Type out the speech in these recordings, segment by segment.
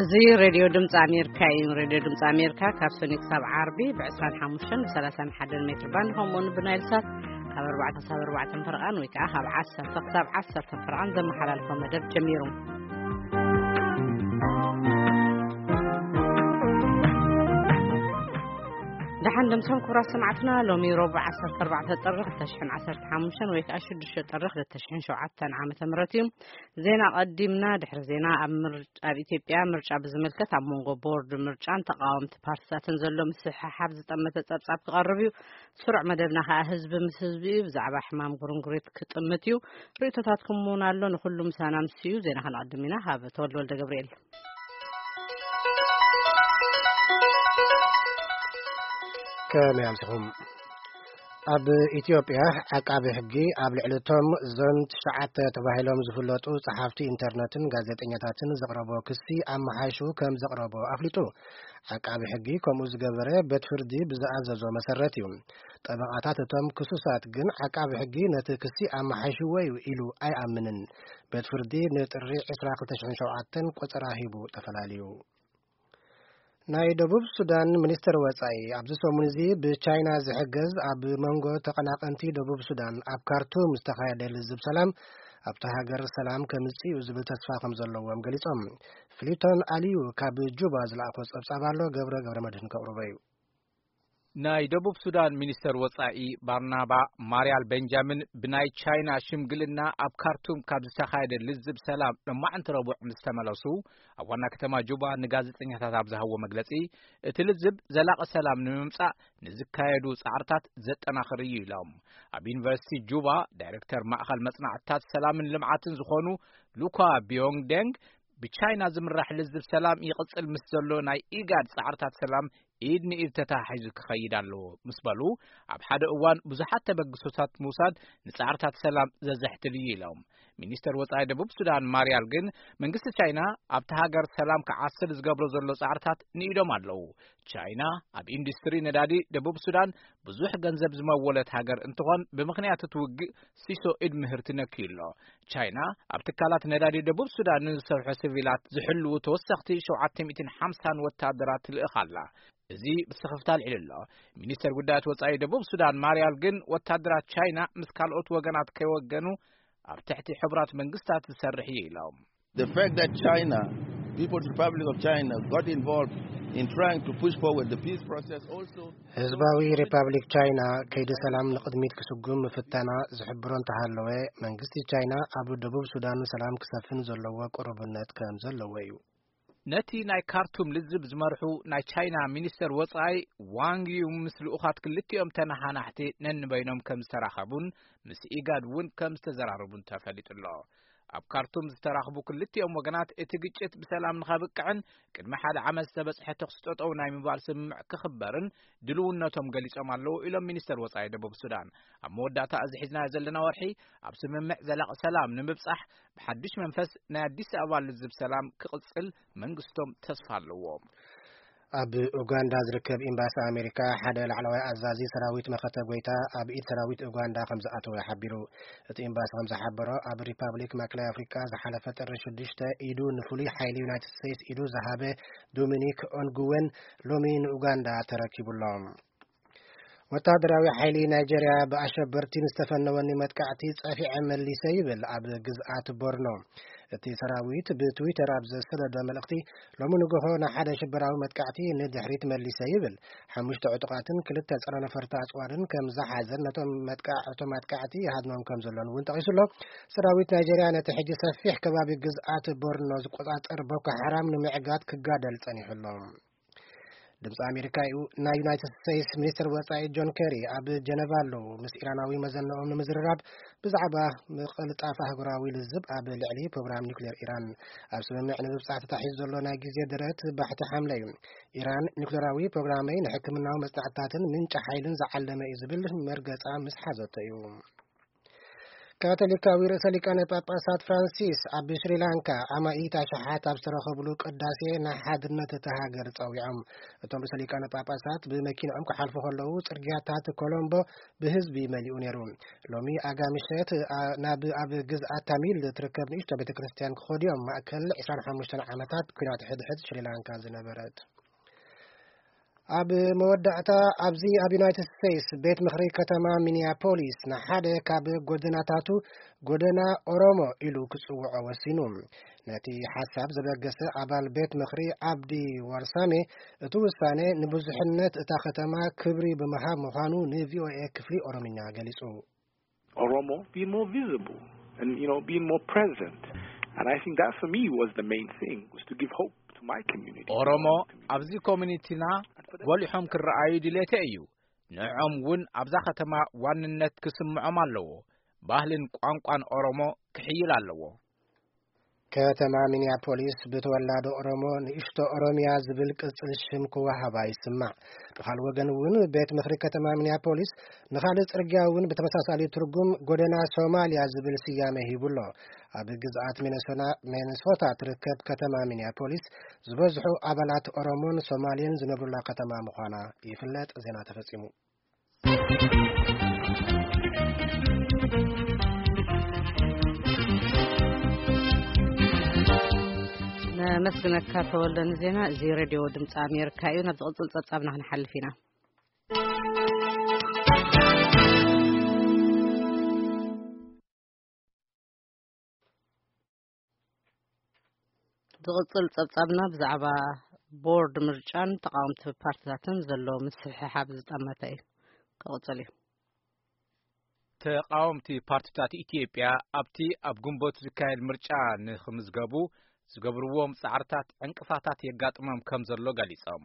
እዚ ሬድዮ ድምፂ ኣሜሪካ እዩ። ሬድዮ ድምፂ ኣሜሪካ ካብ ሰኒ ክሳብ ዓርቢ ብ25 ብ31 ሜትር ባንድ፣ ከምኡውን ብናይል ሳት ካብ ኣርባዕተ ክሳብ ኣርባዕተ ፈረቓን ወይ ከዓ ካብ ዓሰርተ ክሳብ ዓሰርተ ፈረቓን ዘመሓላልፎ መደብ ጀሚሩ። ደሓን ደምሶም ክቡራት ሰማዕትና፣ ሎሚ ረቡዕ ዓሰርተ ኣርባዕተ ጥሪ ክልተ ሽሕን ዓሰርተ ሓሙሽተን ወይ ከዓ ሽዱሽተ ጥሪ ክልተ ሽሕን ሸውዓተን ዓመተ ምህረት እዩ። ዜና ቀዲምና። ድሕሪ ዜና፣ ኣብ ምር-፣ ኣብ ኢትዮጵያ ምርጫ ብዝምልከት ኣብ መንጎ ቦርድ ምርጫን ተቃወምቲ ፓርቲታትን ዘሎ ምስሕሓብ ዝጠመተ ጸብጻብ ክቐርብ እዩ። ስሩዕ መደብና ከኣ ህዝቢ ምስ ህዝቢ እዩ። ብዛዕባ ሕማም ጉርንጉሪት ክጥምት እዩ። ርእይቶታትኩም እውን ኣሎ። ንኹሉ ምሳና ምስ እዩ። ዜና ከነቐድም ኢና። ካብ ተወልደ ወልደ ገብርኤል። ከመይ ኣምሲኹም? ኣብ ኢትዮጵያ፣ ዓቃቢ ሕጊ ኣብ ልዕሊ እቶም ዞን ትሽዓተ ተባሂሎም ዝፍለጡ ጸሓፍቲ ኢንተርነትን ጋዜጠኛታትን ዘቕረቦ ክሲ ኣመሓይሹ ከም ዘቕረቦ ኣፍሊጡ። ዓቃቢ ሕጊ ከምኡ ዝገበረ፣ ቤት ፍርዲ ብዝኣዘዞ መሰረት እዩ። ጠበቓታት እቶም ክሱሳት ግን፣ ዓቃቢ ሕጊ ነቲ ክሲ ኣመሓይሽዎ እዩ ኢሉ ኣይኣምንን። ቤት ፍርዲ ንጥሪ ዕስራ ክልተ ሽሕን ሸውዓተን ቆጸራ ሂቡ ተፈላልዩ። ናይ ደቡብ ሱዳን ሚኒስትር ወጻኢ፣ ኣብዚ ሰሙን እዚ ብቻይና ዝሕገዝ፣ ኣብ መንጎ ተቐናቐንቲ ደቡብ ሱዳን ኣብ ካርቱም ዝተኻየደ ልዝብ ሰላም፣ ኣብታ ሃገር ሰላም ከምጽእ እዩ ዝብል ተስፋ ከም ዘለዎም ገሊጾም። ፍሊቶን ኣልዩ ካብ ጁባ ዝለኣኾ ጸብጻብ ኣሎ፣ ገብረ ገብረ መድህን ከቕርቦ እዩ። ናይ ደቡብ ሱዳን ሚኒስተር ወጻኢ ባርናባ ማርያል ቤንጃሚን፣ ብናይ ቻይና ሽምግልና ኣብ ካርቱም ካብ ዝተኻየደ ልዝብ ሰላም ሎማዕንቲ ረቡዕ ምስ ተመለሱ፣ ኣብ ዋና ከተማ ጁባ ንጋዜጠኛታት ኣብ ዝሃብዎ መግለጺ፣ እቲ ልዝብ ዘላቒ ሰላም ንምምጻእ ንዝካየዱ ጻዕርታት ዘጠናኽር እዩ ኢሎም። ኣብ ዩኒቨርሲቲ ጁባ ዳይሬክተር ማእኸል መጽናዕትታት ሰላምን ልምዓትን ዝኾኑ ሉኳ ቢዮንግ ዴንግ፣ ብቻይና ዝምራሕ ልዝብ ሰላም ይቕጽል ምስ ዘሎ ናይ ኢጋድ ጻዕርታት ሰላም ኢድ ንኢድ ተተሓሒዙ ክኸይድ ኣለዎ ምስ በሉ፣ ኣብ ሓደ እዋን ብዙሓት ተበግሶታት ምውሳድ ንጻዕርታት ሰላም ዘዘሕትል እዩ ኢሎም። ሚኒስተር ወጻኢ ደቡብ ሱዳን ማርያል ግን፣ መንግስቲ ቻይና ኣብቲ ሃገር ሰላም ክዓስል ዝገብሮ ዘሎ ጻዕርታት ንኢዶም ኣለዉ። ቻይና ኣብ ኢንዱስትሪ ነዳዲ ደቡብ ሱዳን ብዙሕ ገንዘብ ዝመወለት ሃገር እንትኾን፣ ብምኽንያት እቲ ውግእ ሲሶ ኢድ ምህርቲ ነክዩ ኣሎ። ቻይና ኣብ ትካላት ነዳዲ ደቡብ ሱዳን ንዝሰርሑ ሲቪላት ዝሕልዉ ተወሰኽቲ ሸውዓተ ሚእትን ሓምሳን ወታደራት ትልእኽ ኣላ። እዚ ብስኽፍታ ኣልዒሉ ኣሎ። ሚኒስተር ጉዳያት ወጻኢ ደቡብ ሱዳን ማርያል ግን፣ ወታደራት ቻይና ምስ ካልኦት ወገናት ከይወገኑ ኣብ ትሕቲ ሕቡራት መንግስታት ዝሰርሕ እዩ ኢሎም። The fact that China, People's Republic of China, got involved in trying to push forward the peace process also ህዝባዊ ሪፓብሊክ ቻይና ከይዲ ሰላም ንቕድሚት ክስጉም ምፍታና ዝሕብሮ እንተሃለወ፣ መንግስቲ ቻይና ኣብ ደቡብ ሱዳን ሰላም ክሰፍን ዘለዎ ቅሩብነት ከም ዘለዎ እዩ። ነቲ ናይ ካርቱም ልዝብ ዝመርሑ ናይ ቻይና ሚኒስተር ወጻኢ ዋንግ ዩ ምስ ልኡኻት ክልቲኦም ተነሓናሕቲ ነንበይኖም ከም ዝተራኸቡን ምስ ኢጋድ እውን ከም ዝተዘራረቡን ተፈሊጡ ኣሎ። ኣብ ካርቱም ዝተራኽቡ ክልቲኦም ወገናት፣ እቲ ግጭት ብሰላም ንኸብቅዕን ቅድሚ ሓደ ዓመት ዝተበጽሐ ተኹሲ ጠጠው ናይ ምባል ስምምዕ ክኽበርን ድልውነቶም ገሊጾም ኣለዉ ኢሎም ሚኒስተር ወጻኢ ደቡብ ሱዳን። ኣብ መወዳእታ፣ እዚ ሒዝናዮ ዘለና ወርሒ ኣብ ስምምዕ ዘላቒ ሰላም ንምብጻሕ ብሓድሽ መንፈስ ናይ ኣዲስ ኣበባ ልዝብ ሰላም ክቕጽል መንግስቶም ተስፋ ኣለዎ። ኣብ ኡጋንዳ ዝርከብ ኤምባሲ ኣሜሪካ ሓደ ላዕለዋይ ኣዛዚ ሰራዊት መኸተ ጎይታ ኣብ ኢድ ሰራዊት ኡጋንዳ ከም ዝኣተወ ሓቢሩ። እቲ ኤምባሲ ከም ዝሓበሮ፣ ኣብ ሪፓብሊክ ማእከላይ ኣፍሪካ ዝሓለፈ ጥሪ ሽዱሽተ ኢዱ ንፍሉይ ሓይሊ ዩናይትድ ስቴትስ ኢዱ ዝሃበ ዶሚኒክ ኦንጉወን ሎሚ ንኡጋንዳ ተረኪቡሎም። ወታደራዊ ሓይሊ ናይጀርያ ብኣሸበርቲ ንዝተፈነወኒ መጥቃዕቲ ጸፊዐ መሊሰ ይብል ኣብ ግዝኣት ቦርኖ። እቲ ሰራዊት ብትዊተር ኣብ ዘሰደዶ መልእኽቲ፣ ሎሚ ንግሆ ንሓደ ሽበራዊ መጥቃዕቲ ንድሕሪት መሊሰ ይብል። ሓሙሽተ ዕጡቓትን ክልተ ጸረ ነፈርቲ ኣጽዋርን ከም ዝሓዘን ነቶም መጥቃዕ-፣ እቶም መጥቃዕቲ ይሃድኖም ከም ዘሎን እውን ጠቒሱ ኣሎ። ሰራዊት ናይጀርያ ነቲ ሕጂ ሰፊሕ ከባቢ ግዝኣት ቦርኖ ዝቆጻጸር ቦኮ ሓራም ንምዕጋት ክጋደል ጸኒሑ ኣሎ። ድምፂ ኣሜሪካ እዩ። ናይ ዩናይትድ ስቴትስ ሚኒስትር ወፃኢ ጆን ኬሪ ኣብ ጀነቫ ኣለዉ። ምስ ኢራናዊ መዘንኦም ንምዝርራብ ብዛዕባ ምቕልጣፍ ኣህጉራዊ ልዝብ ኣብ ልዕሊ ፕሮግራም ኒውክሌር ኢራን ኣብ ስምምዕ ንምብፃሕ ተታሒዙ ዘሎ ናይ ግዜ ደረት ባሕቲ ሓምለ እዩ። ኢራን ኒውክሌራዊ ፕሮግራመይ ንሕክምናዊ መፅናዕትታትን ምንጪ ሓይልን ዝዓለመ እዩ ዝብል መርገፃ ምስ ሓዘቶ እዩ። ካቶሊካዊ ርእሰ ሊቃነ ጳጳሳት ፍራንሲስ ኣብ ሽሪላንካ ኣማኢት ኣሽሓት ኣብ ዝተረኸብሉ ቅዳሴ ንሓድነት እታ ሃገር ጸዊዖም። እቶም ርእሰ ሊቃነ ጳጳሳት ብመኪንኦም ክሓልፉ ከለዉ ጽርግያታት ኮሎምቦ ብህዝቢ መሊኡ ነይሩ። ሎሚ ኣጋ ምሸት ኣ-፣ ናብ ኣብ ግዝኣት ታሚል እትርከብ ንእሽቶ ቤተ ክርስቲያን ክኸዱ እዮም። ማእከል ዕስራን ሓሙሽተን ዓመታት ኲናት ሕድሕድ ሽሪላንካ ዝነበረት። ኣብ መወዳእታ ኣብዚ ኣብ ዩናይትድ ስቴትስ ቤት ምኽሪ ከተማ ሚኒያፖሊስ ንሓደ ካብ ጎደናታቱ ጎደና ኦሮሞ ኢሉ ክጽውዖ ወሲኑ። ነቲ ሓሳብ ዘበገሰ ኣባል ቤት ምኽሪ ዓብዲ ዋርሳሜ እቲ ውሳኔ ንብዙሕነት እታ ከተማ ክብሪ ብምሃብ ምዃኑ ንቪኦኤ ክፍሊ ኦሮምኛ ገሊጹ። Oromo being more visible and, you know, being more present. And I think that for me was the main thing, was to give hope to my community. ኦሮሞ ኣብዚ ኮሚኒቲና ጎሊሖም ክረኣዩ ድሌተ እዩ። ንዕኦም እውን ኣብዛ ከተማ ዋንነት ክስምዖም ኣለዎ። ባህልን ቋንቋን ኦሮሞ ክሕይል ኣለዎ። ከተማ ሚኒያፖሊስ ብተወላዶ ኦሮሞ ንእሽቶ ኦሮሚያ ዝብል ቅጽል ሽም ክወሃባ ይስማዕ። ብኻልእ ወገን እውን ቤት ምኽሪ ከተማ ሚኒያፖሊስ ንኻልእ ጽርግያ እውን ብተመሳሳሊ ትርጉም ጎደና ሶማልያ ዝብል ስያመ ሂቡ ኣሎ። ኣብ ግዝኣት ሚነሶና-፣ ሚነሶታ ትርከብ ከተማ ሚኒያፖሊስ ዝበዝሑ ኣባላት ኦሮሞን ሶማሌን ዝነብሩላ ከተማ ምዃና ይፍለጥ። ዜና ተፈጺሙ። ነመስግነካ ተወልደ ንዜና። እዚ ሬድዮ ድምፂ ኣሜሪካ እዩ። ናብ ዝቕፅል ፀብፃብና ክንሓልፍ ኢና። ዝቕጽል ጸብጻብና ብዛዕባ ቦርድ ምርጫን ተቓወምቲ ፓርቲታትን ዘሎ ምስሕሓብ ዝጠመተ እዩ። ክቕጽል እዩ። ተቓወምቲ ፓርቲታት ኢትዮጵያ ኣብቲ ኣብ ግንቦት ዝካየድ ምርጫ ንኽምዝገቡ ዝገብርዎም ጻዕርታት ዕንቅፋታት የጋጥሞም ከም ዘሎ ገሊጾም።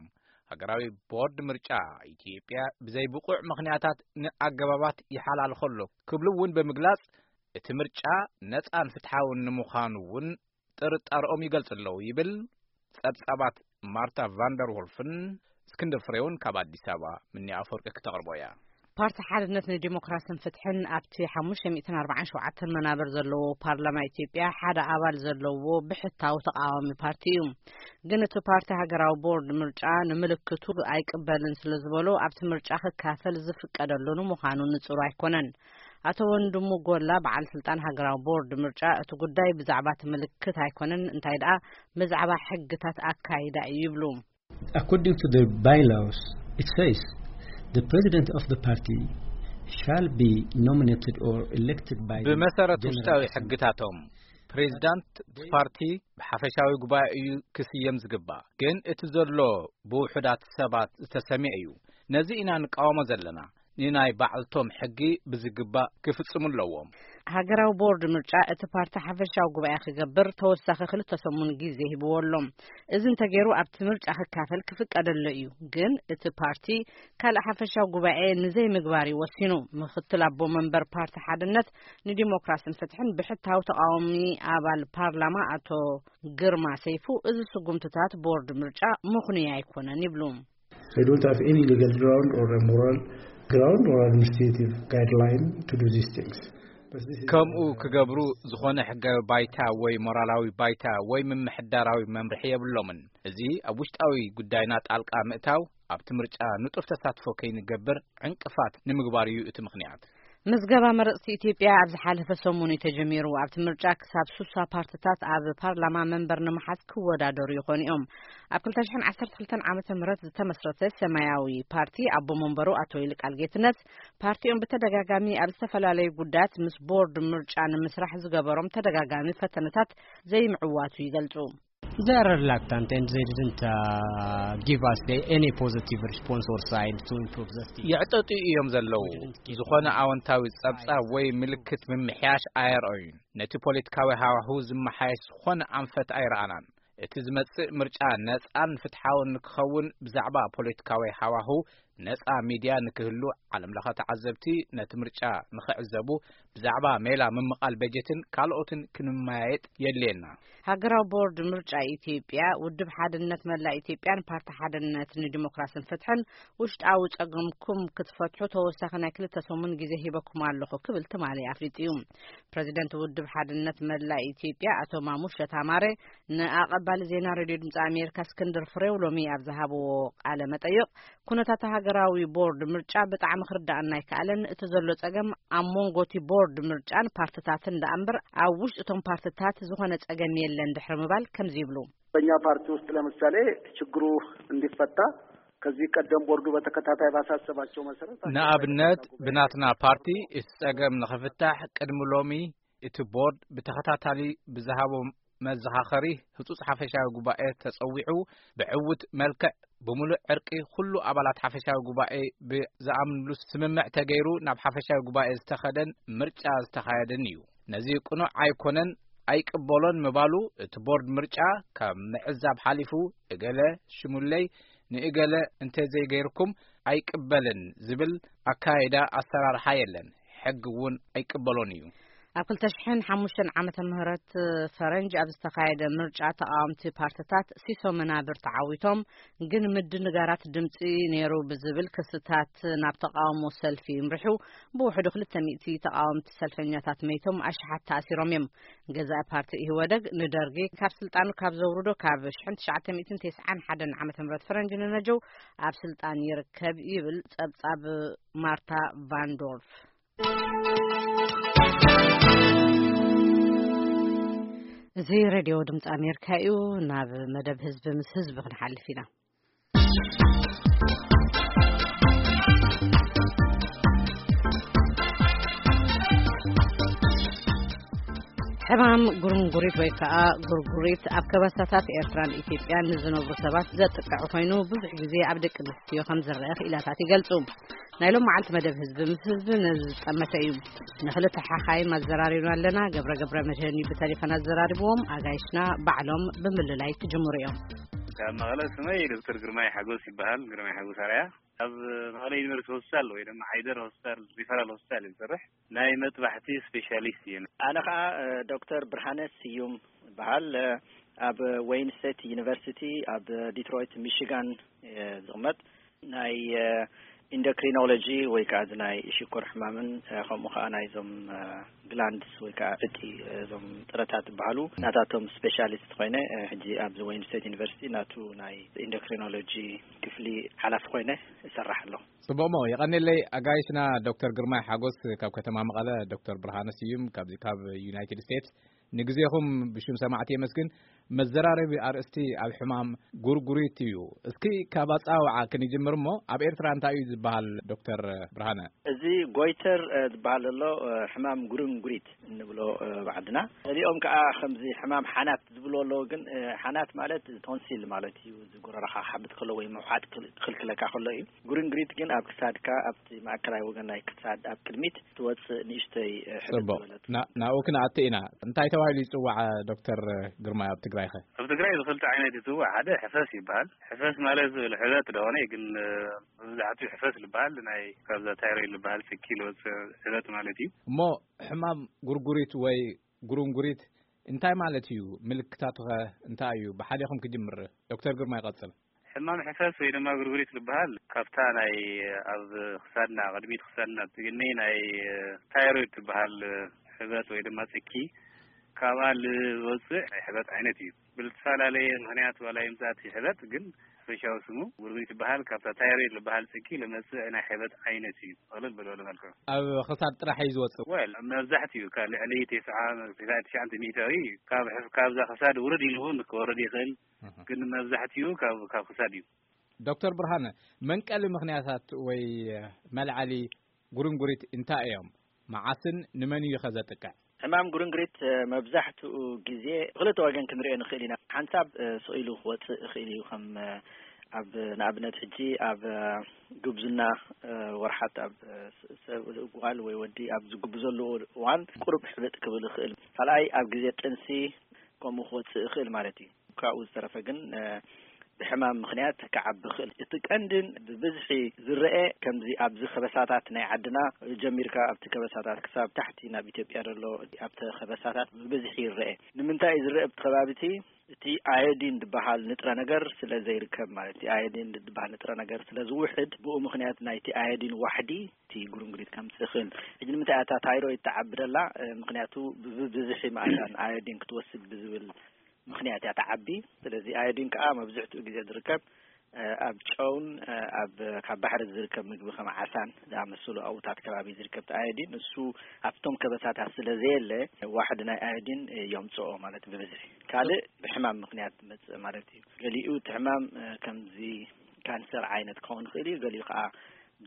ሃገራዊ ቦርድ ምርጫ ኢትዮጵያ ብዘይ ብቑዕ ምኽንያታት ንኣገባባት ይሓላልኸሎ ክብሉ እውን ብምግላጽ፣ እቲ ምርጫ ነጻን ፍትሓውን ንምዃኑ እውን ጥርጣረኦም ይገልጹ ኣለዉ ይብል። ጸብጻባት ማርታ ቫንደር ዎልፍን እስክንድር ፍሬውን ካብ ኣዲስ ኣበባ ምኒ ኣፈወርቂ ክተቕርቦ እያ። ፓርቲ ሓድነት ንዲሞክራስን ፍትሕን ኣብቲ ሓሙሽተ ሚእትን ኣርባዓን ሸውዓተን መናበር ዘለዎ ፓርላማ ኢትዮጵያ ሓደ ኣባል ዘለዎ ብሕታዊ ተቃዋሚ ፓርቲ እዩ። ግን እቲ ፓርቲ ሃገራዊ ቦርድ ምርጫ ንምልክቱ ኣይቅበልን ስለ ዝበሎ ኣብቲ ምርጫ ክካፈል ዝፍቀደሉ ንምዃኑ ንጹር ኣይኮነን። ኣቶ ወንድሙ ጎላ በዓል ስልጣን ሃገራዊ ቦርድ ምርጫ እቲ ጉዳይ ብዛዕባ እቲ ምልክት ኣይኮነን፣ እንታይ ደኣ ብዛዕባ ሕግታት ኣካይዳ እዩ ይብሉ። According to the bylaws, it says the president of the party shall be nominated or elected by the ብመሰረት General ውሽጣዊ Assembly. ሕግታቶም ፕሬዚዳንት እቲ ፓርቲ ብሓፈሻዊ ጉባኤ እዩ ክስየም ዝግባእ። ግን እቲ ዘሎ ብውሑዳት ሰባት ዝተሰምየ እዩ። ነዚ ኢና ንቃወሞ ዘለና። ንናይ ባዕልቶም ሕጊ ብዝግባእ ክፍጽሙ ኣለዎም። ሃገራዊ ቦርድ ምርጫ እቲ ፓርቲ ሓፈሻዊ ጉባኤ ክገብር ተወሳኺ ክልተ ሰሙን ግዜ ሂብዎ ኣሎ። እዚ እንተገይሩ ኣብቲ ምርጫ ክካፈል ክፍቀደሎ እዩ። ግን እቲ ፓርቲ ካልእ ሓፈሻዊ ጉባኤ ንዘይምግባር እዩ ወሲኑ። ምክትል ኣቦ መንበር ፓርቲ ሓድነት ንዲሞክራስን ፍትሕን ብሕታዊ ተቃዋሚ ኣባል ፓርላማ ኣቶ ግርማ ሰይፉ፣ እዚ ስጉምትታት ቦርድ ምርጫ ምኽኑይ ኣይኮነን ይብሉ። They don't have any legal ground or a moral ground or administrative guideline to do these things. But this is ከምኡ ክገብሩ ዝኾነ ሕጋዊ ባይታ ወይ ሞራላዊ ባይታ ወይ ምምሕዳራዊ መምርሒ የብሎምን። እዚ ኣብ ውሽጣዊ ጉዳይና ጣልቃ ምእታው ኣብቲ ምርጫ ንጡፍ ተሳትፎ ከይንገብር ዕንቅፋት ንምግባር እዩ እቲ ምኽንያት። ምዝገባ መረጽቲ ኢትዮጵያ ኣብ ዝሓለፈ ሰሙን እዩ ተጀሚሩ። ኣብቲ ምርጫ ክሳብ ሱሳ ፓርትታት ኣብ ፓርላማ መንበር ንምሓዝ ክወዳደሩ ይኾኑ እዮም። ኣብ ክልተ ሽሕን ዓሰርተ ክልተን ዓመተ ምህረት ዝተመስረተ ሰማያዊ ፓርቲ ኣቦ መንበሩ ኣቶ ይልቃል ጌትነት፣ ፓርቲኦም ብተደጋጋሚ ኣብ ዝተፈላለዩ ጉዳያት ምስ ቦርድ ምርጫ ንምስራሕ ዝገበሮም ተደጋጋሚ ፈተነታት ዘይምዕዋቱ ይገልጹ። They are reluctant and they didn't, uh, give us the, any positive response or sign to improve the state. የዕጠጡ እዮም ዘለዉ። ዝኾነ ኣወንታዊ ጸብጻብ ወይ ምልክት ምምሕያሽ ኣየርኣዩን። ነቲ ፖለቲካዊ ሃዋሁ ዝመሓየሽ ዝኾነ ኣንፈት ኣይረኣናን። እቲ ዝመጽእ ምርጫ ነጻን ፍትሓውን ንክኸውን ብዛዕባ ፖለቲካዊ ሃዋሁ ነጻ ሚድያ ንክህሉ፣ ዓለምለኸ ተዓዘብቲ ነቲ ምርጫ ንኽዕዘቡ፣ ብዛዕባ ሜላ ምምቓል በጀትን ካልኦትን ክንመያየጥ የድልየና። ሃገራዊ ቦርድ ምርጫ ኢትዮጵያ፣ ውድብ ሓድነት መላእ ኢትዮጵያን ፓርቲ ሓድነት ንዲሞክራስን ፍትሕን ውሽጣዊ ጸገምኩም ክትፈትሑ ተወሳኺ ናይ ክልተ ሰሙን ግዜ ሂበኩም ኣለኹ ክብል ትማሊ ኣፍሊጡ እዩ። ፕረዚደንት ውድብ ሓድነት መላእ ኢትዮጵያ ኣቶ ማሙሸት ኣማረ ንኣቐባሊ ዜና ሬድዮ ድምፂ ኣሜሪካ እስክንድር ፍሬው ሎሚ ኣብ ዝሃብዎ ቃለ መጠይቕ፣ ኩነታት ሃገራዊ ቦርድ ምርጫ ብጣዕሚ ክርዳኣና ኣይከኣለን። እቲ ዘሎ ጸገም ኣብ መንጎ እቲ ቦርድ ምርጫን ፓርትታትን ደኣ እምበር ኣብ ውሽጢ እቶም ፓርትታት ዝኾነ ጸገም የለን ድሕሪ ምባል ከምዚ ይብሉ። በእኛ ፓርቲ ውስጥ ለምሳሌ ችግሩ እንዲፈታ ከዚህ ቀደም ቦርዱ በተከታታይ ባሳሰባቸው መሰረት ንኣብነት ብናትና ፓርቲ እቲ ጸገም ንኽፍታሕ ቅድሚ ሎሚ እቲ ቦርድ ብተኸታታሊ ብዝሃቦ መዘኻኸሪ ህጹጽ ሓፈሻዊ ጉባኤ ተጸዊዑ ብዕዉት መልክዕ ብምሉእ ዕርቂ ኩሉ ኣባላት ሓፈሻዊ ጉባኤ ብዝኣምንሉ ስምምዕ ተገይሩ ናብ ሓፈሻዊ ጉባኤ ዝተኸደን ምርጫ ዝተኻየደን እዩ። ነዚ ቅኑዕ ኣይኮነን ኣይቅበሎን ምባሉ እቲ ቦርድ ምርጫ ካብ ምዕዛብ ሓሊፉ እገለ ሽሙለይ ንእገለ እንተዘይገይርኩም ኣይቅበልን ዝብል ኣካይዳ ኣሰራርሓ የለን። ሕጊ እውን ኣይቅበሎን እዩ። ኣብ ክልተ ሽሕን ሓሙሽተን ዓመተ ምህረት ፈረንጅ ኣብ ዝተኻየደ ምርጫ ተቃወምቲ ፓርትታት ሲሶ መናብር ተዓዊቶም፣ ግን ምድንጋራት ድምፂ ነይሩ ብዝብል ክስታት ናብ ተቃውሞ ሰልፊ ይምርሑ። ብውሕዱ ክልተ ሚእቲ ተቃወምቲ ሰልፈኛታት መይቶም ኣሽሓት ተኣሲሮም እዮም። ገዛኢ ፓርቲ ኢህወደግ ንደርጊ ካብ ስልጣኑ ካብ ዘውርዶ ካብ ሽሕን ትሽዓተ ሚእትን ተስዓን ሓደን ዓመተ ምህረት ፈረንጅ ንነጀው ኣብ ስልጣን ይርከብ ይብል ጸብጻብ ማርታ ቫንዶርፍ። እዚ ሬድዮ ድምፂ ኣሜሪካ እዩ። ናብ መደብ ህዝቢ ምስ ህዝቢ ክንሓልፍ ኢና። ሕማም ጉርንጉሪት ወይ ከዓ ጉርጉሪት ኣብ ከበሳታት ኤርትራን ኢትዮጵያን ንዝነብሩ ሰባት ዘጥቅዕ ኮይኑ፣ ብዙሕ ግዜ ኣብ ደቂ ኣንስትዮ ከም ዝረአ ክኢላታት ይገልጹ። ናይ ሎም መዓልቲ መደብ ህዝቢ ምስ ህዝቢ ነዚ ዝጠመተ እዩ። ንክልተ ሓኻይም ኣዘራሪብና ኣለና። ገብረ ገብረ መድህን እዩ ብተሌፎን ኣዘራሪብዎም። ኣጋይሽና ባዕሎም ብምልላይ ክጅምሩ እዮም። ካብ መቐለ ስመይ ዶክተር ግርማይ ሓጎስ ይበሃል። ግርማይ ሓጎስ ኣርኣያ። ኣብ መቐለ ዩኒቨርሲቲ ሆስፒታል ወይ ድማ ዓይደር ሆስፒታል፣ ሪፈራል ሆስፒታል እዩ ዝሰርሕ። ናይ መጥባሕቲ ስፔሻሊስት እየ። ኣነ ኸኣ፣ እ፣ ዶክተር ብርሃነ ስዩም ይበሃል። እ፣ ኣብ ዌይን ስቴት ዩኒቨርሲቲ ኣብ ዲትሮይት ሚሽጋን እየ ዝቕመጥ። ናይ፣ እ፣ ኢንዶክሪኖሎጂ ወይ ከኣ እዚ ናይ ሽኮር ሕማምን፣ እ፣ ከምኡ ኸኣ ናይዞም፣ እ፣ ግላንድስ ወይ ከኣ ዕጢ፣ እ፣ እዞም ጥረታት ዝበሃሉ ናታቶም ስፔሻሊስት ኮይነ፣ እ፣ ሕጂ ኣብዚ ዌይን ስቴት ዩኒቨርሲቲ ናቱ ናይ ኢንዶክሪኖሎጂ ክፍሊ ሓላፊ ኮይነ እሰርሕ ኣለኹ። ጽቡቕ እሞ፣ የቐንየለይ ኣጋይሽና ዶክተር ግርማይ ሓጎስ ካብ ከተማ መቐለ፣ ዶክተር ብርሃነ ስዩም ካብዚ ካብ ዩናይትድ ስቴትስ። ንግዜኹም ብሽም ሰማዕቲ የመስግን። መዘራረቢ ኣርእስቲ ኣብ ሕማም ጉርጉሪት እዩ። እስኪ ካብ ኣጸዋውዓ ክንጅምር እሞ፣ ኣብ ኤርትራ እንታይ እዩ ዝበሃል ዶክተር ብርሃነ? እዚ ጎይተር፣ እ፣ ዝበሃል ዘሎ፣ እ፣ ሕማም ጉርንጉሪት እንብሎ፣ እ፣ ብዓድና። ገሊኦም ከኣ ከምዚ ሕማም ሓናት ዝብልዎ ኣለዉ። ግን፣ እ፣ ሓናት ማለት ቶንሲል ማለት እዩ። እዚ ጎረረኻ ክሓብጥ ከሎ ወይ ምውሓጥ ክል-፣ ክልክለካ ከሎ እዩ። ጉርንጉሪት ግን ኣብ ክሳድካ፣ ኣብቲ ማእከላይ ወገን ናይ ክሳድ ኣብ ቅድሚት ትወጽእ ንእሽተይ፣ እ፣ ሕብጥ ጽቡቕ። ዝበለት። ና-፣ ናብኡ ክንኣቱ ኢና። እንታይ ተባሂሉ ይጽዋዕ ዶክተር ግርማይ ኣብ ትግራይኸ? ኣብ ትግራይ ብኽልተ ዓይነት ይጽዋዕ። ሓደ ሕፈስ ይበሃል። ሕፈስ ማለት ሕበጥ ደኾነ ግን፣ እ፣ መብዛሕትኡ ሕፈስ ዝበሃል ናይ ካብዛ ታይሮይድ ዝበሃል ጽኪ ዝወጽእ ሕበጥ ማለት እዩ። እሞ ሕማም ጉርጉሪት ወይ ጉርንጉሪት እንታይ ማለት እዩ? ምልክታቱኸ እንታይ እዩ? ብሓደኹም ክጅምር። ዶክተር ግርማ ይቐጽል። ሕማም ሕፈስ ወይ ድማ ጉርጉሪት ዝበሃል ካብታ ናይ ኣብ ክሳድና፣ ቅድሚት ክሳድና ትግነይ ናይ ታይሮይድ ትበሃል ሕበጥ ወይ ድማ ጽኪ ካብኣ ዝወጽእ ናይ ሕበጥ ዓይነት እዩ። ብዝተፈላለየ ምኽንያት ዋላ ይምጻእ እቲ ሕበጥ ግን ሓፈሻዊ ስሙ ጉርጉሪት ይበሃል። ካብታ ታይሮይድ ዝበሃል ጽኪ ለመጽእ ናይ ሕበጥ ዓይነት እዩ። ጥቕልል ብልበለ መልክዑ። ኣብ ክሳድ ጥራሕ እዩ ዝወጽእ? ወል፣ መብዛሕትኡ ካብ ልዕሊ ተስዓ፣ ተስዓን ትሽዓተ ሚእታዊ ካብ ሕፍ-፣ ካብዛ ክሳድ ውርድ ኢሉ እውን ክወርድ ይኽእል። እህ። ግን መብዛሕትኡ ካብ፣ ካብ ክሳድ እዩ። ዶክተር ብርሃነ፣ መንቀሊ ምኽንያታት ወይ መልዓሊ ጉርንጉሪት እንታይ እዮም? መዓስን ንመን እዩ ከ ዘጥቅዕ? ሕማም ጉርንግሪት፣ እ፣ መብዛሕትኡ ግዜ ብኽልተ ወገን ክንሪኦ ንኽእል ኢና። ሓንሳብ፣ እ፣ ስቕ ኢሉ ክወጽእ ይኽእል እዩ። ከም፣ እ፣ ኣብ ንኣብነት ሕጂ ኣብ፣ እ፣ ጉብዝና፣ እ፣ ወርሓት ኣብ፣ እ፣ ስ-፣ ሰብ ጓል ወይ ወዲ ኣብ ዝጉብዘሉ እዋን ቁሩብ ሕብጥ ክብል ይኽእል። ካልኣይ ኣብ ግዜ ጥንሲ ከምኡ ክወጽእ ይኽእል ማለት እዩ። ካብኡ ዝተረፈ ግን፣ እ፣ ብሕማም ምኽንያት ክዓቢ ይኽእል። እቲ ቀንድን ብብዝሒ ዝረአ ከምዚ ኣብዚ ከበሳታት ናይ ዓድና ጀሚርካ ኣብቲ ከበሳታት ክሳብ ታሕቲ ናብ ኢትዮጵያ ዘሎ ኣብቲ ከበሳታት ብብዝሒ ይረአ። ንምንታይ እዩ ዝረአ ኣብቲ ከባቢ እቲ? እቲ ኣዮዲን ዝበሃል ንጥረ ነገር ስለ ዘይርከብ ማለት እዩ። ኣዮዲን ዝበሃል ንጥረ ነገር ስለ ዝውሕድ ብኡ ምኽንያት ናይቲ ኣዮዲን ዋሕዲ እቲ ጉርንጉሪት ከምፅእ ይኽእል። ሕጂ ንምንታይ እታ ታይሮይድ ትዓቢ ደላ? ምኽንያቱ ብብዝሒ መኣዛን ኣዮዲን ክትወስድ ብዝብል ምኽንያት እያ ትዓቢ። ስለዚ ኣዮዲን ከዓ መብዝሕትኡ ግዜ ዝርከብ ኣብ ጨውን ኣብ ካብ ባሕሪ ዝርከብ ምግቢ ከም ዓሳን ዝኣመሰሉ ኣብታት ከባቢ ዝርከብ ኣዮዲን እሱ ኣብቶም ከበሳታት ስለ ዘየለ ዋሕዲ ናይ ኣዮዲን የምፅኦ ማለት ብብዝሒ። ካልእ ብሕማም ምኽንያት ዝመፅእ ማለት እዩ። ገሊኡ እቲ ሕማም ከምዚ ካንሰር ዓይነት ክኸውን ይኽእል እዩ። ገሊኡ ከዓ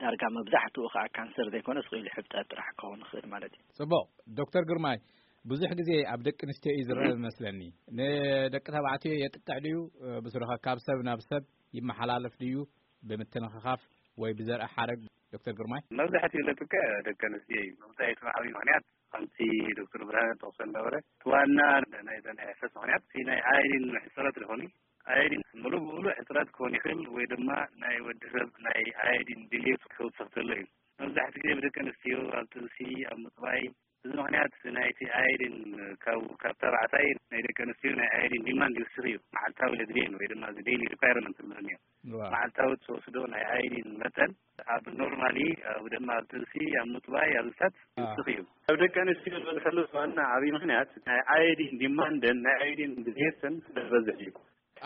ዳርጋ መብዛሕትኡ ከዓ ካንሰር ዘይኮነ ስቕ ኢሉ ሕብጠት ጥራሕ ክኸውን ይኽእል ማለት እዩ። ጽቡቕ። ዶክተር ግርማይ፣ ብዙሕ ግዜ ኣብ ደቂ ኣንስትዮ እዩ ዝረአ ዝመስለኒ። ንደቂ ተባዕትዮ የጥቅዕ ድዩ? ብስሩኸ ካብ ሰብ ናብ ሰብ ይመሓላለፍ ድዩ? ብምትንኽኻፍ ወይ ብዘርኢ ሓረግ? ዶክተር ግርማይ? መብዛሕትኡ ለጥቅዕ ደቂ ኣንስትዮ እዩ። መብዛሕትኡ ዓብዪ ምኽንያት ከምቲ ዶክተር ብርሃነ ጠቕሶ ነበረ፣ እቲ ዋና ናይ ናይ ሕፈስ ምኽንያት እቲ ናይ ኣዮዲን ሕፅረት ዝኾነ ኣዮዲን ሙሉ ብሙሉ ሕፅረት ክኾን ይኽእል ወይ ድማ ናይ ወዲ ሰብ ናይ ኣዮዲን ድሌት ክውስኽ ተሎ እዩ። መብዛሕትኡ ግዜ ብደቂ ኣንስትዮ ኣብ ጥንሲ፣ ኣብ ምጥባይ፣ እዚ ምኽንያት ናይቲ ኣዮዲን ካብ ካብ ተባዕታይ ናይ ደቂ ኣንስትዮ ናይ ኣዮዲን ዲማንድ ይውስኽ እዩ። መዓልታዊ ዘድልየን ወይ ድማ እዚ ዴይሊ ሪኳየርመንት ንብሎ እኒኦ። መዓልታዊ ትወስዶ ናይ ኣዮዲን መጠን ኣብ ኖርማሊ ኣብ ድማ ኣብ ጥንሲ፣ ኣብ ምጥባይ፣ ኣብ ዝታት ይውስኽ እዩ። ኣብ ደቂ ኣንስትዮ ዝበዝሐሉ ዋና ዓብዪ ምኽንያት ናይ ኣዮዲን ዲማንደን ናይ ኣዮዲን ድሌተን ስለ ዝበዝሕ እዩ።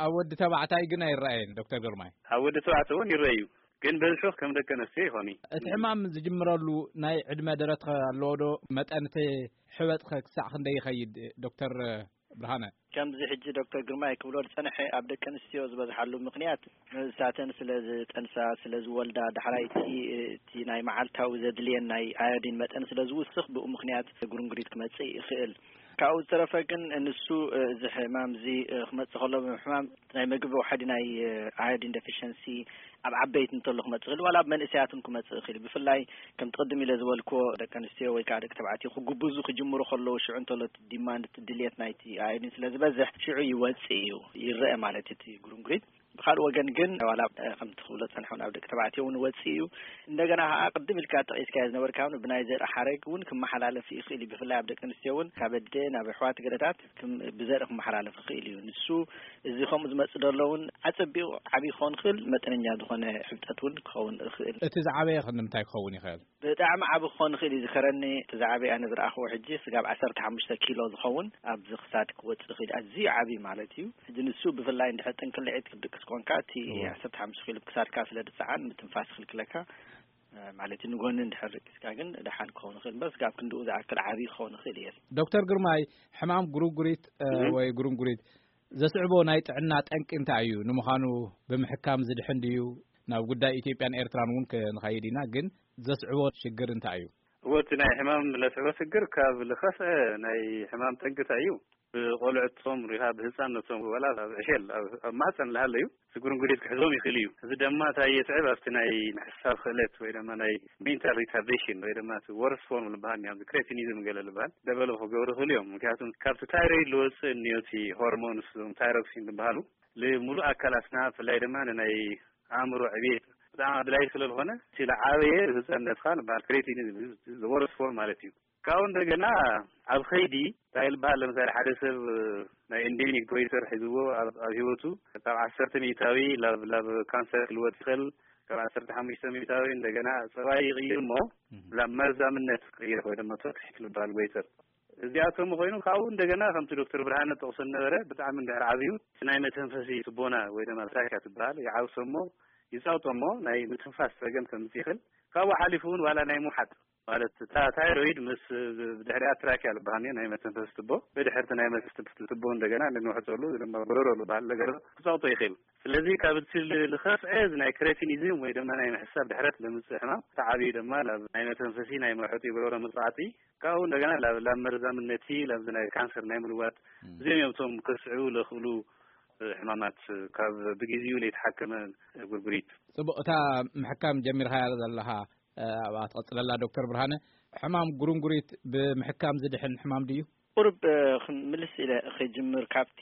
ኣብ ወዲ ተባዕታይ ግን ኣይረኣየን ዶክተር ግርማይ። ኣብ ወዲ ተባዕታይ እውን ይረኣዩ፣ ግን በዝሑ ከም ደቂ ኣንስትዮ ይኾኑ። እቲ ሕማም ዝጅምረሉ ናይ ዕድመ ደረት ከ ኣለዎ ዶ? መጠን እቲ ሕበጥ ከ ክሳዕ ክንደይ ይኸይድ ዶክተር ብርሃነ? ከምዚ ሕጂ ዶክተር ግርማይ ክብሎ ዝጸንሐ ኣብ ደቂ ኣንስትዮ ዝበዝሓሉ ምኽንያት ንሳተን ስለ ዝጠንሳ፣ ስለ ዝወልዳ፣ ዳሕራይ እቲ እቲ ናይ መዓልታዊ ዘድልየን ናይ ኣዮዲን መጠን ስለ ዝውስኽ ብኡ ምኽንያት ጉርንጉሪት ክመጽእ ይኽእል። ካብኡ ዝተረፈ ግን ንሱ እዚ ሕማም እዚ ክመጽእ ከሎ ብምሕማም ናይ ምግቢ ዋሕዲ ናይ ኣዮዲን ደፊሸንሲ ኣብ ዓበይቲ እንተሎ ክመጽእ ይኽእል፣ ዋላ ኣብ መንእሰያት እውን ክመጽእ ይኽእል። ብፍላይ ከምቲ ቅድም ኢለ ዝበልክዎ ደቂ ኣንስትዮ ወይ ከዓ ደቂ ተባዕትዮ ክጉብዙ ክጅምሩ ከለዉ ሽዑ እንተሎ እቲ ዲማንድ እቲ ድልየት ናይቲ ኣዮዲን ስለ ዝበዝሕ ሽዑ ይወጽእ እዩ፣ ይረአ ማለት እዩ እቲ ጉርንጉሪት። ብኻልእ ወገን ግን ዋላ ከምቲ ክብሎ ጸንሐ እውን ኣብ ደቂ ተባዕትዮ እውን ይወጽእ እዩ። እንደገና ከዓ ቅድም ኢልካ ጠቒስካዮ ዝነበርካ እውን ብናይ ዘርኢ ሓረግ እውን ክመሓላለፍ ይኽእል እዩ። ብፍላይ ኣብ ደቂ ኣንስትዮ እውን ካብ ኣደ ናብ ኣሕዋት ገለታት ክም- ብዘርኢ ክመሓላለፍ ይኽእል እዩ። ንሱ እዚ ከምኡ ዝመጽእ ዘሎ እውን ኣጸቢቑ ዓብዪ ክኸውን ይኽእል፣ መጠነኛ ዝኾነ ሕብጠት እውን ክኸውን ይኽእል። እቲ ዝዓበየ ከ ንምንታይ ክኸውን ይኽእል? ብጣዕሚ ዓቢ ክኾን ይኽእል እዩ። ዝከረኒ እቲ ዝዓበየ ኣነ ዝረኣኽዎ ሕጂ ስጋብ ዓሰርተ ሓሙሽተ ኪሎ ዝኸውን ኣብዚ ክሳድ ክወጽእ ይኽእል እዩ። ኣዝዩ ዓቢ ማለት እዩ። ሕጂ ንሱ ብፍላይ እንድሕር ጥንቅልዒት ክትድቅስ ኮንካ እቲ እወ። ዓሰርተ ሓሙሽተ ኪሎ ክሳድካ ስለ ዝጸዓን ምትንፋስ ይኽልክለካ፣ እ፣ ማለት እዩ። ንጎኒ እንድሕር ደቂስካ ግን ደሓን ክኸውን ይኽእል እምበር ስጋብ ክንድኡ ዝኣክል ዓቢ ክኸውን ይኽእል እየ። ዶክተር ግርማይ፣ ሕማም ጉርጉሪት፣ እ፣ እህ። ወይ ጉርንጉሪት ዘስዕቦ ናይ ጥዕና ጠንቂ እንታይ እዩ? ንምዃኑ ብምሕካም ዝድሕን ድዩ? ናብ ጉዳይ ኢትዮጵያን ኤርትራን እውን ክንኸይድ ኢና፣ ግን ዘስዕቦ ሽግር እንታይ እዩ? እወ፣ እቲ ናይ ሕማም ለስዕቦ ሽግር ካብ ልኸፍአ ናይ ሕማም ጠንቂ እንታይ እዩ? ብቆልዕቶም ሪኻ ብህፃንነቶም ዋላ ኣብ ዕሸል ኣብ ኣብ ማህፀን ልሃለዩ እቲ ጉርንጉሪት ክሕዞም ይኽእል እዩ። እዚ ድማ እንታይ የስዕብ? ኣብቲ ናይ ምሕሳብ ክእለት ወይ ድማ ናይ ሜንታል ሪታርዴሽን ወይ ድማ እቲ ወርስ ፎርም ዝበሃል ኣብዚ ክሬቲኒዝም ገለ ዝበሃል ደቨሎፕ ክገብሩ ይኽእሉ እዮም። ምክንያቱም ካብቲ ታይሮይድ ዝወፅእ እኒኦ እቲ ሆርሞንስ እዞም ታይሮክሲን ዝበሃሉ ልሙሉእ ኣካላትና ብፍላይ ድማ ንናይ ኣእምሮ ዕቤት ብጣዕሚ ኣድላይ ስለ ዝኾነ እቲ ዝዓበየ ህፃንነትካ ንበሃል ክሬቲኒዝም ወርስ ፎርም ማለት እዩ። ካብኡ እንደገና ኣብ ኸይዲ እንታይ ዝበሃል ለምሳሌ ሓደ ሰብ ናይ ኤንዴሚክ ጎይተር ሒዝዎ ኣብ ኣብ ህይወቱ ካብ ዓሰርተ ሚእታዊ ላብ ላብ ካንሰር ክልወጥ ይኽእል። ካብ ዓሰርተ ሓሙሽተ ሚእታዊ እንደገና ፀባይ ይቕይር እሞ ላብ መርዛምነት ክቕይር ወይ ድማ ቶክሲክ ዝበሃል ጎይተር እዚኣቶም ኮይኑ ካብኡ እንደገና ከምቲ ዶክተር ብርሃነ ጠቕሶ ነበረ ብጣዕሚ እንድሕር ዓብዩ እቲ ናይ መተንፈሲ ትቦና ወይ ድማ ትራኪያ ትበሃል ይዓብሶ እሞ ይፃውጦ እሞ ናይ ምትንፋስ ፀገም ከምፅእ ይኽእል። ካብኡ ሓሊፉ እውን ዋላ ናይ ምውሓጥ ማለት እታ ታይሮይድ ምስ ብድሕሪኣ ትራኪያ ዝበሃል ናይ መተንፈሲ ትቦ ብድሕርቲ ናይ መተንፈሲ ትቦ እንደገና ንንውሕፀሉ ድማ ጎረሮ ዝበሃል ነገር ክፃውጦ ይኽእል። ስለዚ ካብ እቲ ዝኸፍዐ እዚ ናይ ክሬቲኒዝም ወይ ድማ ናይ ምሕሳብ ድሕረት ለምፅእ ሕማም እቲ ዓብዩ ድማ ናብ ናይ መተንፈሲ ናይ መውሐጢ ጎረሮ ምፅዓጢ ካብኡ እንደገና ላብ ላብ መርዛምነቲ ላብዚ ናይ ካንሰር ናይ ምልዋጥ እዚኦም እዮም እቶም ከስዕቡ ለኽእሉ ሕማማት ካብ ብግዜኡ ለይተሓከመ ጉርጉሪት። ጽቡቕ፣ እታ ምሕካም ጀሚርካያ ዘለኻ ኣብኣ ትቐጽለላ ዶክተር ብርሃነ፣ ሕማም ጉርንጉሪት ብምሕካም ዝድሕን ሕማም ድዩ? ቁሩብ ክምልስ ኢለ ክጅምር ካብቲ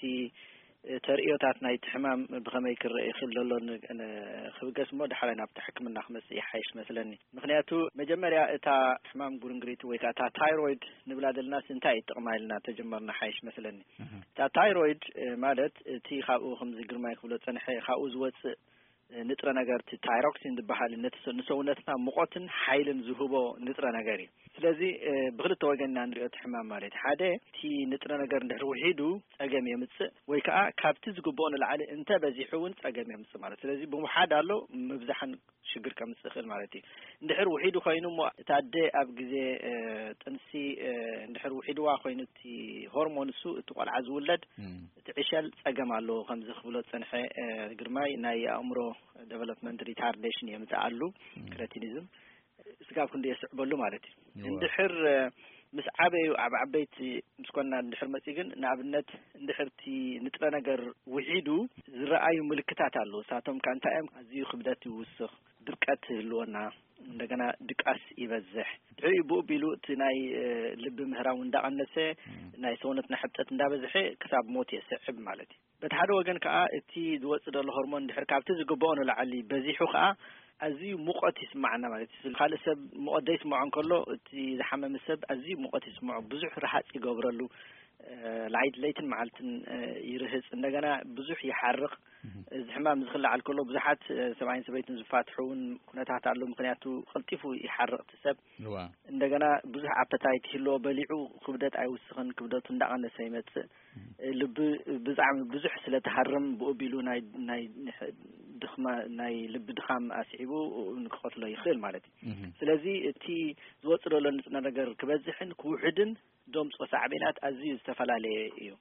ተርእዮታት ናይቲ ሕማም ብኸመይ ክረአ ይኽእል ዘሎ ን- ን- ክብገስ እሞ፣ ዳሕራይ ናብቲ ሕክምና ክመጽእ ይሓይሽ መስለኒ። ምኽንያቱ መጀመርያ እታ ሕማም ጉርንግሪት ወይ ከዓ እታ ታይሮይድ ንብላ ዘለናስ እንታይ እዩ ጥቕማ ኢልና ተጀመርና ሓይሽ መስለኒ። እታ ታይሮይድ እ፣ ማለት እቲ ካብኡ ከምዚ ግርማይ ክብሎ ጸንሐ ካብኡ ዝወጽእ እ፣ ንጥረ ነገር እቲ ታይሮክሲን ዝበሃል ነቲ ሰ- ንሰውነትና ሙቐትን ሓይልን ዝህቦ ንጥረ ነገር እዩ። ስለዚ እ፣ ብክልተ ወገን ኢና ንሪኦ እቲ ሕማም ማለት እዩ። ሓደ እቲ ንጥረ ነገር እንድሕር ውሒዱ ጸገም የምጽእ ወይ ከዓ ካብቲ ዝግብኦ ንላዕሊ እንተ በዚሑ እውን ጸገም የምጽእ ማለት እዩ። ስለዚ ብምውሓድ ኣሎ ምብዛሕን ሽግር ከምጽእ ይኽእል ማለት እዩ። እንድሕር ውሒዱ ኮይኑ እሞ እታ ኣደ ኣብ ግዜ እ፣ ጥንሲ እ፣ እንድሕር ውሒድዋ ኮይኑ እቲ ሆርሞን እሱ እቲ ቆልዓ ዝውለድ እቲ ዕሸል ጸገም ኣለዎ ከምዚ ክብሎ ዝጸንሐ እ፣ ግርማይ ናይ ኣእምሮ ዴቨሎፕመንት ሪታርዴሽን የምጽእ ኣሉ ክረቲኒዝም ስጋብ ክንዲ የስዕበሉ ማለት እዩ። እንድሕር እ፣ ምስ ዓበዩ ኣብ ዓበይቲ ምስ ኮና እንድሕር መጺኡ ግን ንኣብነት እንድሕር እቲ ንጥረ ነገር ውሒዱ ዝረኣዩ ምልክታት ኣለዉ። እሳቶም ከ እንታይ እዮም? ኣዝዩ ክብደት ይውስኽ፣ ድርቀት ይህልወና፣ እንደገና ድቃስ ይበዝሕ። ድሕሪኡ ብኡ ቢሉ እቲ ናይ እ፣ ልቢ ምህራው እንዳቐነሰ ናይ ሰውነትና ሕብጠት እንዳበዝሐ ክሳብ ሞት የስዕብ ማለት እዩ። በቲ ሓደ ወገን ከዓ እቲ ዝወፅእ ዘሎ ሆርሞን ድሕር ካብቲ ዝግብኦ ንላዕሊ በዚሑ ከዓ ኣዝዩ ሙቐት ይስማዓና ማለት እዩ። ካልእ ሰብ ሙቐት ዘይስምዖ እንከሎ እቲ ዝሓመመ ሰብ ኣዝዩ ሙቐት ይስምዖ፣ ብዙሕ ረሃፅ ይገብረሉ፣ እ፣ ላይት ለይትን መዓልትን እ፣ ይርህፅ፣ እንደገና ብዙሕ ይሓርቕ። እዚ ሕማም ዝክልዓል ከሎ ብዙሓት እ፣ ሰብኣይን ሰበይትን ዝፋትሑ እውን ኩነታት ኣሎ። ምክንያቱ ቀልጢፉ ይሓርቕ እቲ ሰብ። እንደገና ብዙሕ ኣፐታይት ይህልዎ፣ በሊዑ ክብደት ኣይውስኽን፣ ክብደቱ እንዳቐነሰ ይመፅእ። ልቢ ብጣዕሚ ብዙሕ ስለ ትሃርም ብኡ ቢሉ ናይ ናይ ድኽማ ናይ ልቢ ድኻም ኣስዒቡ ንክቐትሎ ይኽእል ማለት እዩ። ስለዚ እቲ ዝወፅእ ዘሎ ንጥረ ነገር ክበዝሕን ክውሕድን ደምፆ ሳዕቤናት ኣዝዩ ዝተፈላለየ እዩ።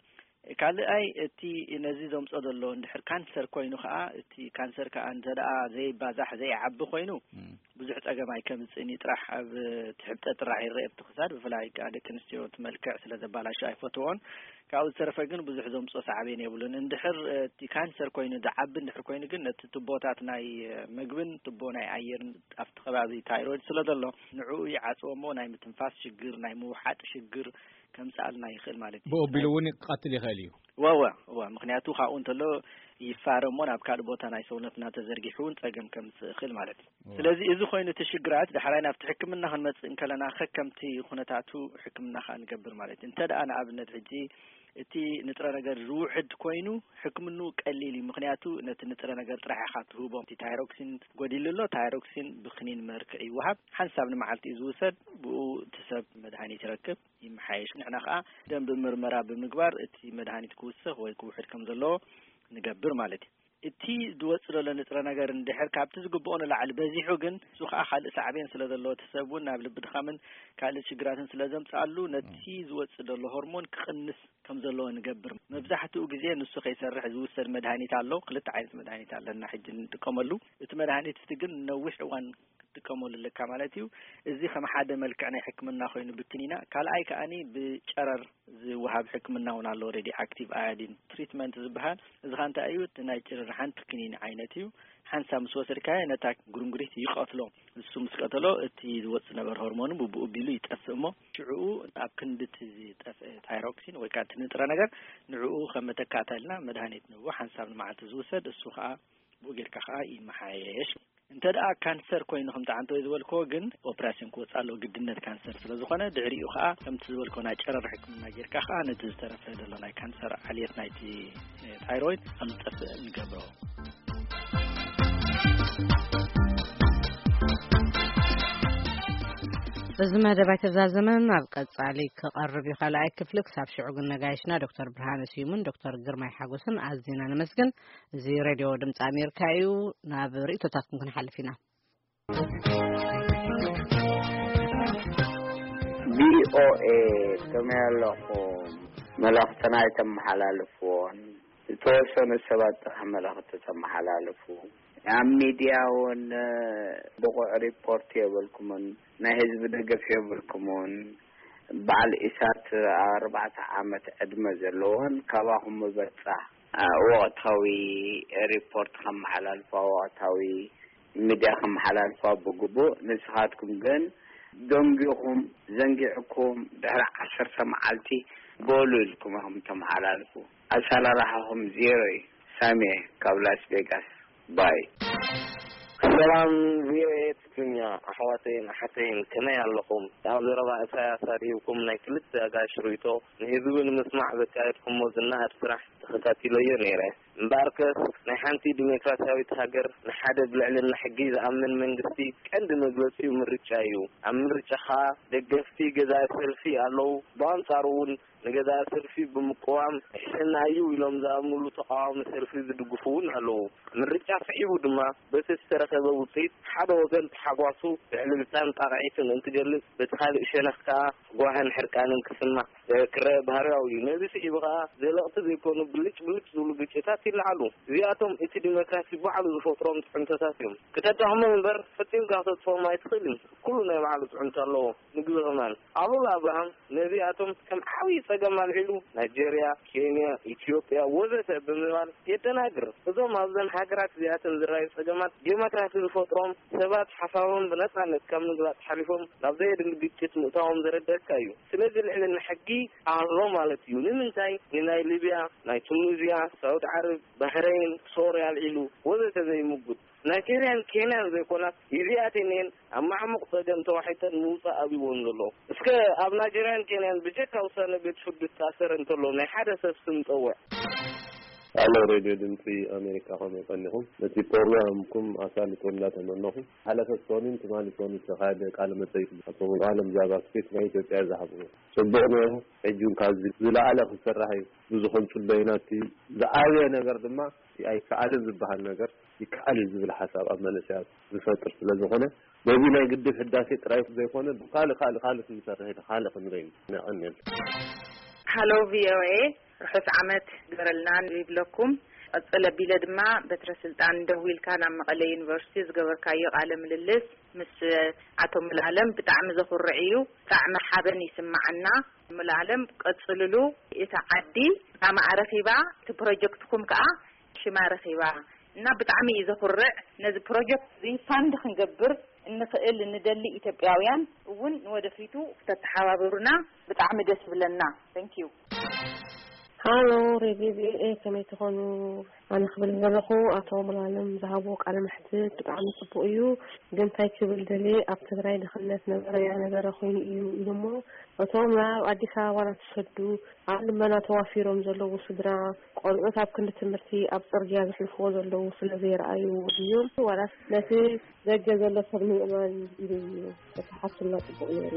ካልኣይ እቲ ነዚ ዘምፆ ዘሎ እንድሕር ካንሰር ኮይኑ ከዓ እቲ ካንሰር ከዓ እንተ ደኣ ዘይባዛሕ ዘይዓቢ ኮይኑ ብዙሕ ጸገም ኣይከምፅእን እዩ። ጥራሕ ኣብ ትሕብጠ ጥራሕ ይረአ ኣብቲ ክሳድ ብፍላይ ከዓ ደቂ ኣንስትዮ እቲ መልክዕ ስለ ዘባላሹ ኣይፈትዎን። ካብኡ ዝተረፈ ግን ብዙሕ ዘምፅኦ ሳዕቤን የብሉን። እንድሕር እቲ ካንሰር ኮይኑ ዝዓቢ እንድሕር ኮይኑ ግን ነቲ ቱቦታት ናይ ምግብን ቱቦ ናይ ኣየርን ኣብቲ ከባቢ ታይሮይድ ስለ ዘሎ ንዕኡ ይዓፅዎ እሞ ናይ ምትንፋስ ሽግር ናይ ምውሓጥ ሽግር ከምፅኣልና ይኽእል ማለት እዩ። ብኡ ኣቢሉ እውን ክቐትል ይኽእል እዩ። ወወ ወ ምክንያቱ ካብኡ እንተሎ ይፋረ እሞ ናብ ካልእ ቦታ ናይ ሰውነትና ተዘርጊሑ እውን ፀገም ከምፅእ ይኽእል ማለት እዩ። ስለዚ እዚ ኮይኑ እቲ ሽግራት ዳሕራይ ናብቲ ሕክምና ክንመፅእ እንከለና ከከምቲ ኩነታቱ ሕክምና ከዓ ንገብር ማለት እዩ። እንተ ደኣ ንኣብነት ሕጂ እቲ ንጥረ ነገር ዝውሕድ ኮይኑ ሕክምንኡ ቀሊል እዩ። ምክንያቱ ነቲ ንጥረ ነገር ጥራሕ ኢኻ ትህቦ። እቲ ታይሮክሲን ጎዲሉ ኣሎ። ታይሮክሲን ብክኒን መርክዕ ይወሃብ። ሓንሳብ ንመዓልቲ እዩ ዝውሰድ። ብኡ እቲ ሰብ መድሃኒት ይረክብ፣ ይመሓየሽ። ንሕና ከዓ ደም ብምርመራ ብምግባር እቲ መድሃኒት ክውስኽ ወይ ክውሕድ ከም ዘለዎ ንገብር ማለት እዩ። እቲ ዝወፅእ ዘሎ ንጥረ ነገር እንድሕር ካብቲ ዝግብኦ ንላዕሊ በዚሑ ግን እሱ ከዓ ካልእ ሳዕቤን ስለ ዘለዎ እቲ ሰብ እውን ናብ ልቢ ድኻምን ካልእ ሽግራትን ስለ ዘምፅኣሉ ነቲ ዝወፅእ ዘሎ ሆርሞን ክቕንስ ከም ዘለዎ ንገብር። መብዛሕትኡ ግዜ ንሱ ከይሰርሕ ዝውሰድ መድሃኒት ኣሎ። ክልተ ዓይነት መድሃኒት ኣለና ሕጂ እንጥቀመሉ። እቲ መድሃኒት እቲ ግን ነዊሕ እዋን ክትጥቀመሉ ኣለካ ማለት እዩ። እዚ ከም ሓደ መልክዕ ናይ ሕክምና ኮይኑ ብክኒና፣ ካልኣይ ከኣኒ ብጨረር ዝወሃብ ሕክምና እውን ኣሎ። ሬዲ ኣክቲቭ ኣያዲን ትሪትመንት ዝበሃል እዚ ኸ እንታይ እዩ? እቲ ናይ ጭርር ሓንቲ ክኒን ዓይነት እዩ። ሓንሳ ምስ ወሰድካዮ ነታ ጉርንጉሪት ይቐትሎ። እሱ ምስ ቀተሎ እቲ ዝወፅእ ነበር ሆርሞን ብብኡ ቢሉ ይጠፍእ እሞ ሽዕኡ ኣብ ክንዲ እቲ ዝጠፍአ ታይሮክሲን ወይ ከዓ እቲ ንጥረ ነገር ንዕኡ ከም መተካእታ ኢልና መድሃኒት ንህቦ ሓንሳብ ንመዓልቲ ዝውሰድ እሱ ከዓ ብኡ ጌርካ ከዓ ይመሓየሽ። እንተ ደኣ ካንሰር ኮይኑ ከምቲ ዓንተወይ ዝበልክዎ ግን ኦፕራሲዮን ክወፅእ ኣለዎ ግድነት ካንሰር ስለ ዝኾነ ድሕሪኡ ከዓ ከምቲ ዝበልክዎ ናይ ጨረር ሕክምና ጌርካ ከዓ ነቲ ዝተረፈ ዘሎ ናይ ካንሰር ዓልየት ናይቲ ታይሮይድ ከም ዝጠፍእ ንገብሮ። እዚ መደብ ኣይተዛዘመን ኣብ ቀጻሊ ክቐርብ እዩ ካልኣይ ክፍሊ። ክሳብ ሽዑ ግን ነጋይሽና ዶክተር ብርሃነ ስዩምን ዶክተር ግርማይ ሓጎስን ኣዝና ነመስግን። እዚ ሬድዮ ድምፂ ኣሜሪካ እዩ። ናብ ርእቶታትኩም ክንሓልፍ ኢና። ቪኦኤ ከመይ ኣለኹም? መልእኽትና ኣይተመሓላልፍዎን፣ ዝተወሰኑ ሰባት ጥራሕ መልእኽቲ ተመሓላልፉ። ኣብ ሚድያ እውን ብቑዕ ሪፖርት የብልኩምን፣ ናይ ህዝቢ ደገፍ የብልኩምን። በዓል ኢሳት ኣርባዕተ ዓመት ዕድመ ዘለዎን ካባኹም ምበጻ ወቕታዊ ሪፖርት ከመሓላልፋ፣ ወቕታዊ ሚድያ ከመሓላልፋ ብግቡእ። ንስኻትኩም ግን ደንጊኹም፣ ዘንጊዕኩም፣ ድሕሪ ዓሰርተ መዓልቲ በሉ ኢልኩም ኢኹም ተመሓላልፉ። ኣሰራርሓኹም ዜሮ እዩ። ሳሜ ካብ ላስ ቬጋስ። ባይ። ሰላም ቪኦኤ ትግርኛ፣ ኣሕዋተይን ኣሓተይን፣ ከመይ ኣለኹም? ኣብ ዘረባ ኢሳያስ ኣድሂብኩም ናይ ክልተ ኣጋይሽ ርእይቶ ንህዝቢ ንምስማዕ ዘካየድኩሞ ዝነኣድ ስራሕ ተኸታቲለዮ ነይረ። እምበኣርከስ ናይ ሓንቲ ዲሞክራሲያዊት ሃገር ንሓደ ብልዕልና ሕጊ ዝኣምን መንግስቲ ቀንዲ መግለጺኡ ምርጫ እዩ። ኣብ ምርጫ ኸኣ ደገፍቲ ገዛኢ ሰልፊ ኣለዉ፣ ብኣንጻሩ እውን ንገዛኢ ሰልፊ ብምቅዋም ሕስና እዩ ኢሎም ዝኣምኑሉ ተቓዋሚ ሰልፊ ዝድግፉ እውን ኣለዉ። ምርጫ ስዒቡ ድማ በቲ ዝተረኸበ ውፅኢት ሓደ ወገን ተሓጓሱ ብዕልልታን ጣቕዒትን እንትገልጽ፣ በቲ ካልእ ሸነኽ ከኣ ጓህን ሕርቃንን ክስማዕ ክረአ ባህርያዊ እዩ። ነዚ ስዒቡ ከኣ ዘለቕቲ ዘይኮኑ ብልጭ ብልጭ ዝብሉ ግጭታት ይለዓሉ። እዚኣቶም እቲ ዲሞክራሲ ባዕሉ ዝፈጥሮም ጥዕንቶታት እዮም። ክተዳኽሞም እምበር ፈጺምካ ክተጥፍኦም ኣይትኽእልን። ኩሉ ናይ ባዕሉ ጥዕንቶ ኣለዎ። ምግቢ ከማን ኣሉላ ኣብርሃም ነዚኣቶም ከም ዓብዪ ጸገም ኣልዒሉ ናይጀርያ፣ ኬንያ፣ ኢትዮጵያ ወዘተ ብምባል የደናግር። እዞም ኣብዘን ሃገራት እዚኣተን ዝረኣዩ ጸገማት ዴሞክራሲ ዝፈጥሮም ሰባት ሓሳቦም ብነጻነት ካብ ምግላጽ ሓሊፎም ናብ ዘየድሊ ግጭት ምእታዎም ዘረደካ እዩ። ስለዚ ልዕልና ሕጊ ኣሎ ማለት እዩ። ንምንታይ ንናይ ሊብያ፣ ናይ ቱኒዝያ፣ ሳውዲ ዓረብ፣ ባህረይን፣ ሶርያ ኣልዒሉ ወዘተ ዘይምጉት? ናይጀርያን ኬንያን ዘይኮናስ እዚኣተን እየን ኣብ ማዕሙቕ ጸገም ተዋሒጠን ምውጻእ ኣብይወን ዘሎ። እስከ ኣብ ናይጀርያን ኬንያን ብጀካ ውሳነ ቤት ፍርዲ ዝተኣሰረ እንተሎ ናይ ሓደ ሰብ ስም ጸውዕ። ኣሎ ሬድዮ ድምፂ ኣሜሪካ፣ ከመይ ቀኒኹም? ነቲ ፕሮግራምኩም ኣሳልጦ እንዳተመነኹ፣ ሓለፈ ሶኒን ትማሊ ሶኒ ዝተኻየደ ቃለ መጠይቅ ኣቶ ሙሉዓለም ዛባ ስቴት ናይ ኢትዮጵያ ዝሃብዎ ጽቡቕ ነይሩ። ሕጂ እውን ካብዚ ዝለዓለ ክስራሕ እዩ። ብዙ ክንጽበ ኢና። እቲ ዝዓበየ ነገር ድማ እቲ ኣይከኣልን ዝበሃል ነገር ይከኣል እዩ ዝብል ሓሳብ ኣብ መንእሰያት ዝፈጥር ስለ ዝኾነ፣ በዚ ናይ ግድብ ህዳሴ ጥራይ ዘይኮነ፣ ብካልእ፣ ካልእ፣ ካልእ ክንሰርሕ ኢና፣ ካልእ ክንርኢ ኢና። የቐንየልና። ሃሎ ቪኦኤ፣ ርሑስ ዓመት ግበረልና ይብለኩም። ቀጽል ኣቢለ ድማ በትረ ስልጣን ደዊልካ ናብ መቐለ ዩኒቨርሲቲ ዝገበርካዮ ቃለ ምልልስ ምስ ኣቶ ሙሉዓለም ብጣዕሚ ዘኹርዕ እዩ። ብጣዕሚ ሓበን ይስማዓና። ሙሉዓለም ቀጽልሉ። እታ ዓዲ ብጣዕሚ ኣረኺባ፣ እቲ ፕሮጀክትኩም ከኣ ሽማ ረኺባ እና ብጣዕሚ እዩ ዘኹርዕ። ነዚ ፕሮጀክት እዚ ፋንድ ክንገብር እንኽእል እንደሊ ኢትዮጵያውያን እውን ንወደፊቱ ክተተሓባበሩና ብጣዕሚ ደስ ይብለና። Thank you። ሃሎ ሬድዮ ቪኦኤ፣ ከመይ ትኾኑ? ኣነ ክብል ዘለኹ ኣቶ ሙሉዓለም ዝሃብዎ ቃለ መሕትት ብጣዕሚ ጽቡቕ እዩ። ግን እንታይ ክብል ደልየ፣ ኣብ ትግራይ ድኽነት ነበረ ያነበረ ኮይኑ እዩ ኢሉ እሞ፣ እቶም ናብ ኣዲስ ኣበባ እናተሰዱ ኣብ ልመና ተዋፊሮም ዘለዉ ስድራ፣ ቆልዑት ኣብ ክንዲ ትምህርቲ ኣብ ጽርግያ ዘሕልፍዎ ዘለዉ ስለ ዘይረኣዩ ድዮም ዋላስ ነቲ ደገ ዘሎ ሰብ ንምእማን ኢሉ እዩ? ተተሓቱልና ጽቡቕ ነይሩ።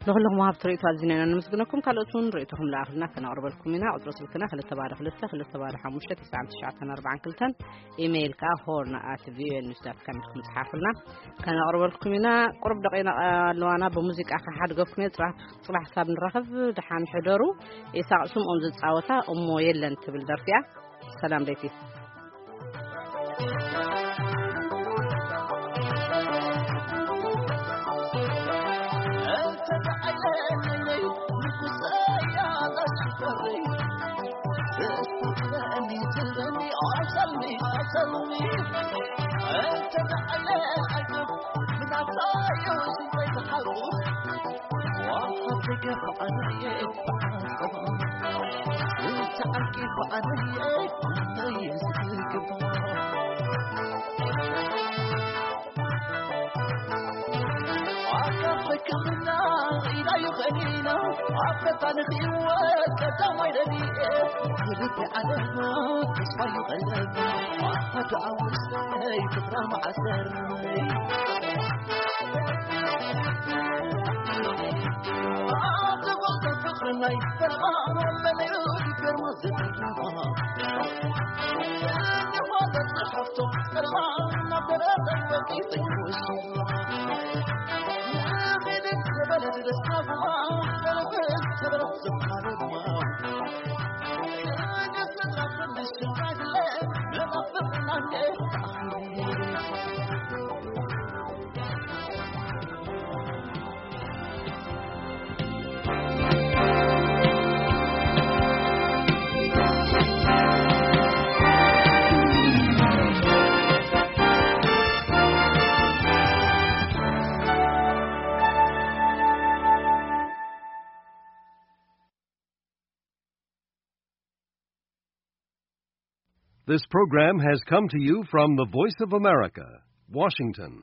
ንኹልኹም ወሃብቲ ርእይቶ ኣዚና ኢና ነመስግነኩም። ካልኦት እውን ርእይቶኹም ለኣኽልና ከነቕርበልኩም ኢና። ቁጽሪ ስልክና ክልተ ባዶ ክልተ፣ ክልተ ባዶ ሓሙሽተ፣ ትስዓን ትሽዓተን ኣርባዓን ክልተን፣ ኢሜይል ከኣ ሆርን ኣት ቪኦኤ ኒውስ ዳት ካም ኢልኩም ጽሓፉልና፣ ከነቕርበልኩም ኢና። ቁሩብ ደቂና ኣለዋና፣ ብሙዚቃ ክሓድገኩም እየ። ጽባሕ፣ ጽባሕ ክሳብ ንራኸብ ደሓን ሕደሩ። ኢሳቕ ስምኦም ዝጻወታ እሞ የለን ትብል ደርፊ እያ። ሰላም ቤቲ። This program has come to you from the Voice of America, Washington.